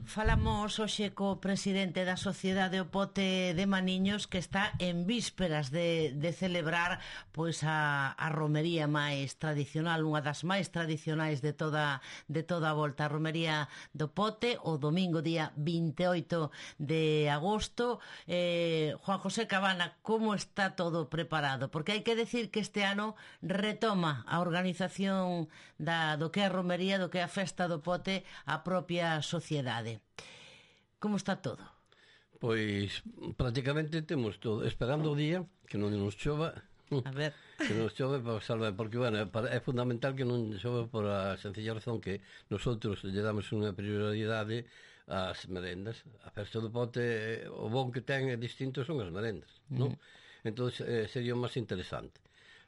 Falamos hoxe co presidente da Sociedade O Pote de Maniños, que está en vísperas de celebrar pois a romería máis tradicional, unha das máis tradicionais de toda a volta, a romería do Pote, o domingo día 28 de agosto. Juan José Cabana, como está todo preparado? Porque hai que decir que este ano retoma a organización do que é a romería, do que é a festa do Pote, a propia sociedade. Como está todo? Pois prácticamente temos todo, esperando o día que non nos chova. A ver. Que non chove para salvar, porque bueno, é fundamental que non chove por a sencilla razón que nosotros lle damos unha prioridade ás merendas. A festa do Pote, o bon que ten é distinto son as merendas, non? Entón sería o máis interesante.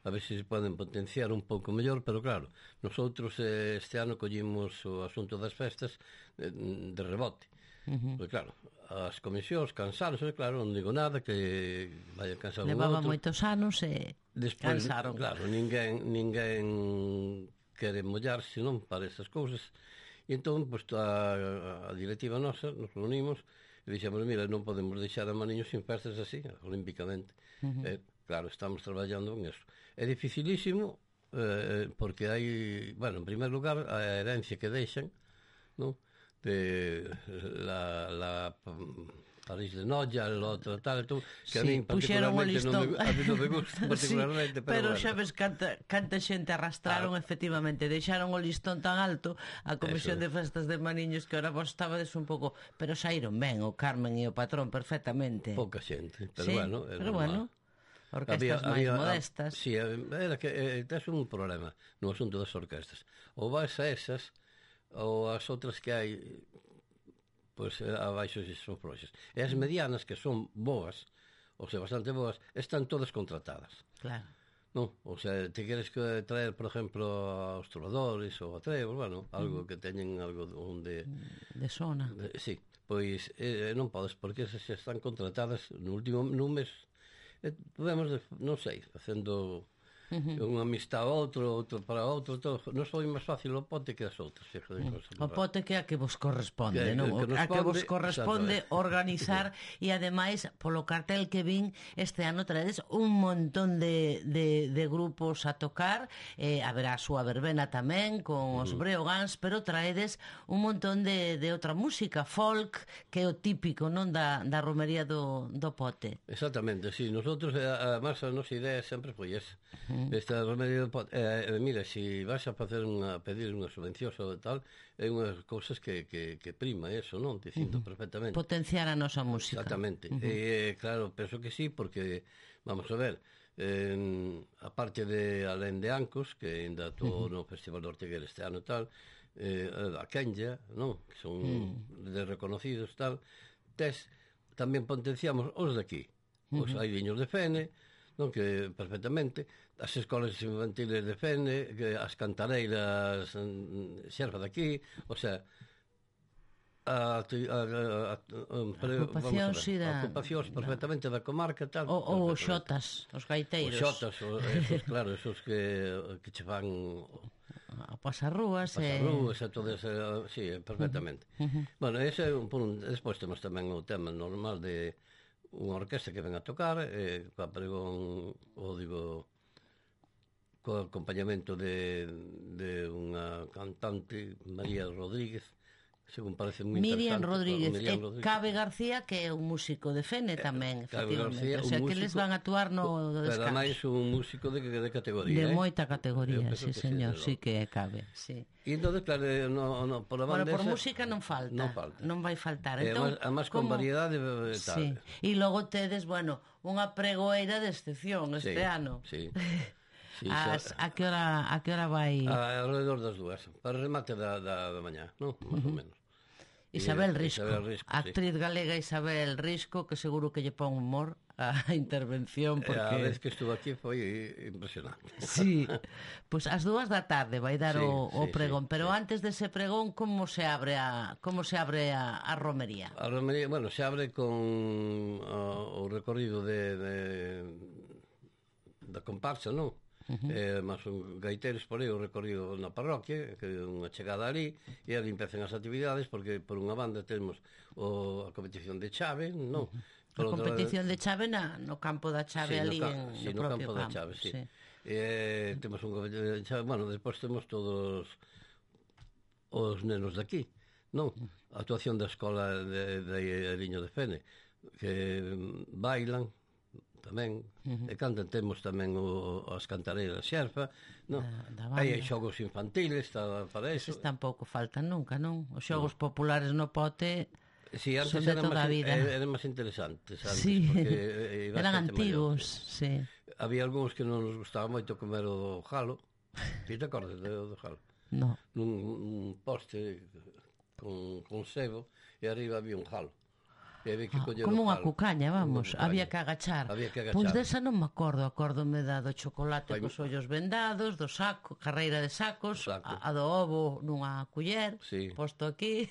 A ver se poden potenciar un pouco mellor, pero claro, nosotros este ano collimos o asunto das festas de rebote. Porque claro, as comisións cansaron, claro, non digo nada que vayan cansar un outro. Levaba moitos anos e despois, cansaron. Claro, ninguén quere mollarse, non, para esas cousas. E entón, pois, a directiva nosa nos reunimos e dixemos, mira, non podemos deixar a Maniños sin festas así, olímpicamente. Claro, estamos traballando en eso. É dificilísimo, porque hai, bueno, en primer lugar, a herencia que deixan, non? De la París de Noia, el outro tal, que a mí particularmente non me gusta particularmente, sí, pero xa ves canta xente arrastraron, efectivamente, deixaron o listón tan alto a Comisión de Festas de Maniños que ahora vos estabades un pouco, pero saíron ben o Carmen e o Patrón perfectamente. Pouca xente, pero sí, bueno, pero bueno, orquestas máis modestas. Sí, era que tes un problema no asunto das orquestas. Ou vas a esas ou as outras que hai, pois abaixo son floxas. E as medianas, que son boas, ou sea, bastante boas, están todas contratadas. Claro. Non? O sea, te queres traer, por exemplo, aos trovadores ou a trebos, bueno, algo que teñen algo onde... De sona. Sí, pois non podes, porque esas xa están contratadas no último mes. Podemos, non sei, facendo... unha amistad a outro para outro, non foi máis fácil o Pote que as outras. O Pote que a que vos corresponde, non? A que vos corresponde organizar, e ademais polo cartel que vin este ano traedes un montón de grupos a tocar, haberá a súa verbena tamén con os Breogans, pero traedes un montón de outra música, folk, que é o típico, non, da romería do Pote. Exactamente, sí, nosotros además a nosa idea sempre foi esa. Esta romería do Pote, mira, se vas a pedir unha subvención ou tal, é unhas cousas que prima eso, non? Dicindo perfectamente. Potenciar a nosa música. Exactamente. Claro, penso que sí, porque, vamos a ver, a parte de alén de Ancos, que ainda todo no Festival de Ortigueira este ano tal, a Kenya, non? Que son de reconocidos tal, tamén potenciamos os de aquí. Os hai viños de Fene, non, que perfectamente as escolas infantiles de Fene, que as cantareiras xerfa de aquí, o sea, ocupacións perfectamente da comarca tal, ou os xotas, os gaiteiros, os xotas, esos, claro, esos que che van a pasarrúas e todo eso, sí, perfectamente. Bueno, ese é un punto. Despois temos tamén o tema normal de unha orquesta que ven a tocar, coa pregón, co acompañamento de unha cantante, María Rodríguez, según parece moi Miriam interesante. Rodríguez. Cabe García, que é un músico de Fene tamén, efectivamente. O sea, que les van a actuar no descanso. Pero máis un músico de categoría. De moita categoría, sí, señor, sí que cabe, sí. E entón, claro, por a banda por música non falta. Non vai faltar. Entón, además con variedade tal. Sí. E logo tedes, bueno, unha pregoeira de excepción este ano. Sí. Sí, a que hora vai? Alrededor das 2, para remate da mañá, non? Más ou menos. Isabel Risco, actriz galega Isabel Risco, que seguro que lle pon humor a intervención, porque a vez que estuvo aquí foi impresionante. Sí, pois ás 2 da tarde vai dar o pregón, pero antes dese pregón como se abre a romería? A romería, bueno, se abre con o recorrido da comparsa, non? Mas son gaiteiros por aí o recorrido na parroquia, que é unha chegada ali, e ali empezan as actividades, porque por unha banda temos a competición de chave, non? A competición de chave no campo da chave ali no propio campo da chave, sí. Temos un competición de chave, bueno, despois temos todos os nenos de aquí, non? A actuación da escola de Ariño de Fene, que bailan tamén, e cantan, temos tamén as cantareiras xerfa, non? Hai xogos infantiles para eso. Eses tampouco faltan nunca, non? Os xogos populares no pote son de toda a vida. Eran máis interesantes antes, sí. porque eran antigos, sí. Había algúns que non nos gustaba moito comer o jalo. Ti te acordas do jalo? No. Nun poste con sebo, e arriba había un jalo. Como unha cucaña, vamos, había que agachar. Pois desa non me acórdome da do chocolate cos ollos vendados, do saco, carreira de sacos, a do ovo nunha culler, posto aquí,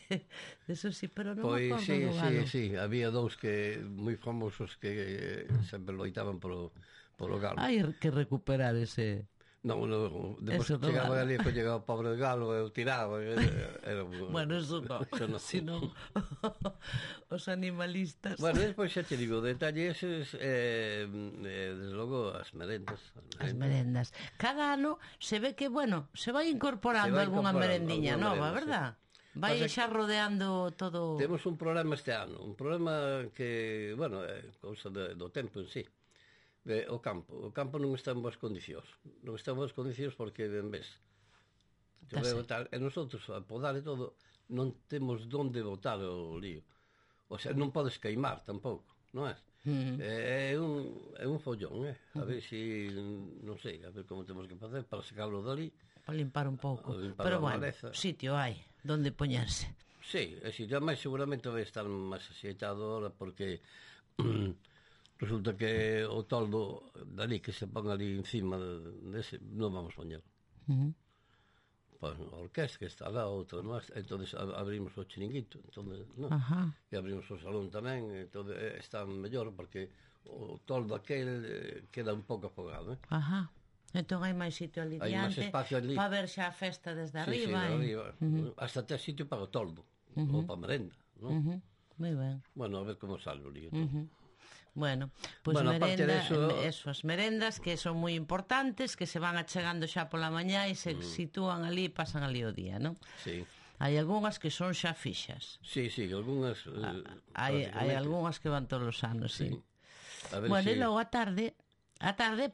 eso sí, pero non me acordo do galo. Sí, había dous que moi famosos que sempre loitaban polo galo. Hai que recuperar ese... Non, depois que chegaba ali, que chegaba o pobre galo, eu tiraba. Bueno, eso non. Sino os animalistas. Bueno, despois xa te digo, detalle eses, desde logo, as merendas. As merendas. Cada ano se ve que, bueno, se vai incorporando algunha merendiña nova, verdad? Vai xa rodeando todo... Temos un problema este ano, un problema que, bueno, é cousa do tempo en sí. O campo non está en boas condicións. Non está en boas condicións porque, ben ves, e nosotros, a podar e todo, non temos onde botar o lío. O sea, non podes queimar tampouco, non é? É un follón, a ver si, non sei, a ver como temos que facer para sacarlo dali. Para limpar un pouco. Pero bueno, sitio hai, onde poñerse. Sí, é sitio, máis seguramente vai estar máis axeitado ahora porque... Resulta que o toldo dali que se pon ali encima dese, non vamos poñer. Pois a orquesta que está lá, outra máis, entón abrimos o chiringuito, e abrimos o salón tamén, entón está mellor porque o toldo aquel queda un pouco afogado. Entón hai máis sitio ali diante para ver xa a festa desde arriba. Hasta ter sitio para o toldo, ou para a merenda, non? Moi ben. Bueno, a ver como sale o lío. Bueno, pois as merendas que son moi importantes, que se van achegando xa pola mañá e se sitúan ali, pasan ali o día, non? Sí. Hai algunhas que son xa fixas. Sí, algunhas... Hai algunhas que van todos os anos, sí. Bueno, e logo a tarde,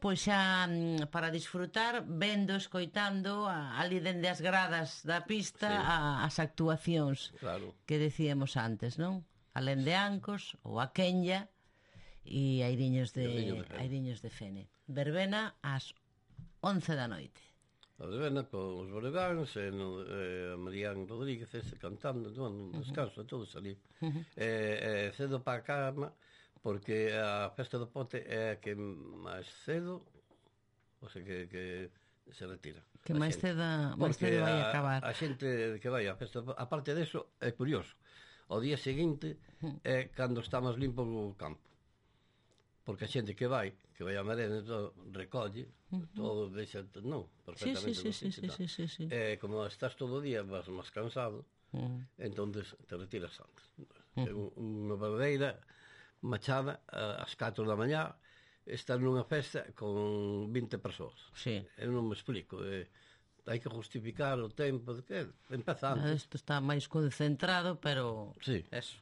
pois xa para disfrutar, vendo, escoitando ali dende as gradas da pista as actuacións que decíamos antes, non? Alén de Ancos ou a Quenya e Airiños de Fene. Verbena ás 11 da noite. A verbena con os Boregáns e a Marián Rodríguez cantando, non descanso, todos ali. Cedo para a cama porque a festa do pote é a que máis cedo, o sea que se retira. Que máis cedo vai acabar. A xente que vai á festa, aparte deso, é curioso. O día seguinte é cando está máis limpo o campo. Porque a xente que vai a merenda, todo, recolle, todo deixa, non, perfectamente. Sí. Como estás todo o día, vas máis cansado, entón te retiras antes. Unha verdadeira machada, ás 4 da mañá, estar nunha festa con 20 persoas. Eu non me explico, hai que justificar o tempo de que empeza antes. Isto está máis concentrado, pero eso.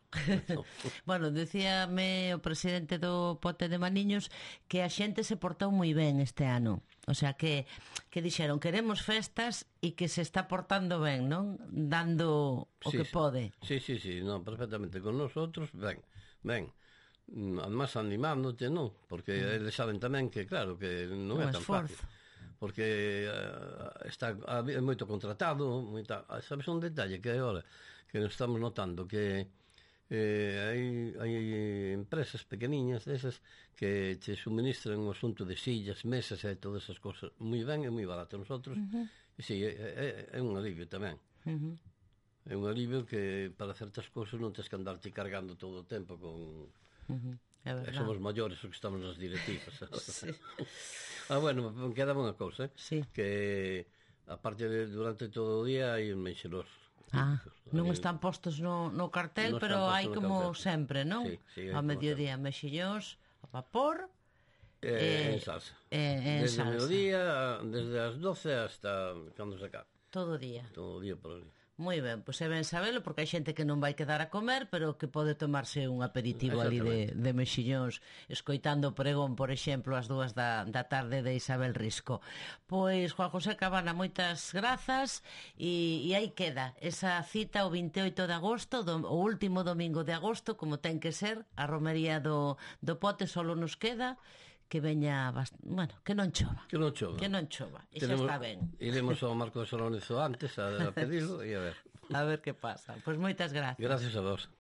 Bueno, decíame o presidente do Pote de Maniños que a xente se portou moi ben este ano. O sea, que dixeron queremos festas e que se está portando ben, non? Dando o que pode. Sí, non, perfectamente. Con nosotros, ben. Además animándote, non? Porque eles saben tamén que, claro, que non é tan fácil. Porque é moito contratado, sabes un detalle que agora que nos estamos notando que hai empresas pequeniñas desas que te suministran o asunto de sillas, mesas e todas esas cosas moi ben e moi barato. Nosotros, é un alivio tamén. É un alivio que para certas cousas non tens que andarte cargando todo o tempo con... é verdade. Somos maiores os que estamos nas directivas. Sí. Bueno, queda unha cousa, Sí. que aparte de durante todo o día hai un menxedor. Non están postos no cartel, Non pero están hai postos no como cartel. sempre, non? Sí, Ao mediodía, mexillóns, a vapor, En salsa. en Desde o salsa. mediodía, desde as 12 hasta cando se acabe. Todo o día. Todo o día por ali. Moi ben, pois é ben sabelo, porque hai xente que non vai quedar a comer, pero que pode tomarse un aperitivo ali de mexillóns, escoitando o pregón, por exemplo, ás 2 da tarde de Isabel Risco. Pois, Juan José Cabana, moitas grazas, e aí queda esa cita o 28 de agosto, o último domingo de agosto, como ten que ser, a romería do Pote. Solo nos queda que veña, bueno, que non chova. Que non chova. Que non chova, e xa está ben. Iremos ao Marco de Solónizo antes a pedirlo e a ver. A ver que pasa. Pois moitas gracias. Gracias a vos.